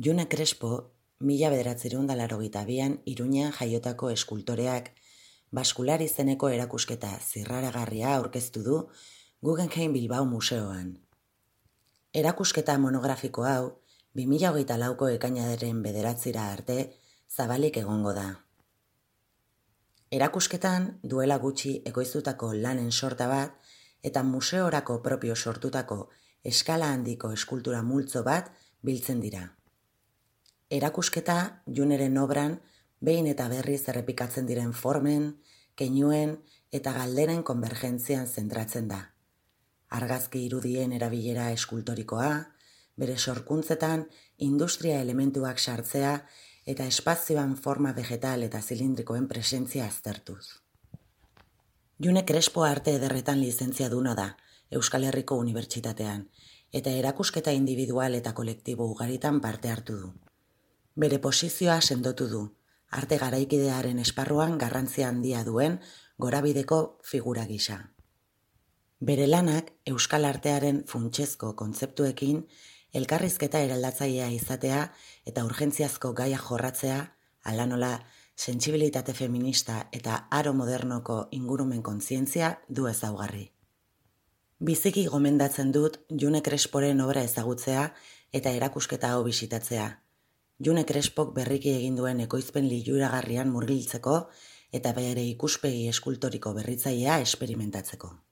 June Crespo, 1982an Iruñean jaiotako eskultoreak Baskular izeneko erakusketa zirraragarria aurkeztu du Guggenheim Bilbao Museoan. Erakusketa monografiko hau 2024ko ekainaren 9 arte zabalik egongo da. Erakusketan duela gutxi ekoiztutako lanen sorta bat eta museorako propio sortutako eskala handiko eskultura multzo bat biltzen dira. Erakusketa Juneren obran behin eta berriz errepikatzen diren formen, keinuen eta galderen konvergentzian zentratzen da. Argazki irudien erabilera eskultorikoa, bere sorkuntzetan industria elementuak sartzea eta espazioan forma vegetal eta zilindrikoen presentzia aztertuz. June Crespo arte ederretan lizentziaduna da Euskal Herriko Unibertsitatean eta erakusketa individual eta kolektibo ugaritan parte hartu du. Bere posizioa sendotu du, arte garaikidearen esparruan garrantzia handia duen gorabideko figura gisa. Bere lanak euskal artearen funtsezko kontzeptuekin elkarrizketa eraldatzailea izatea eta urgentziazko gaia jorratzea, hala nola sentsibilitate feminista eta aro modernoko ingurumen kontzientzia du ezaugarri. Biziki gomendatzen dut June Cresporen obra ezagutzea eta erakusketa hau bisitatzea. June Crespok berriki egin duen ekoizpen liluragarrian murgiltzeko eta bere ikuspegi eskultoriko berritzailea esperimentatzeko.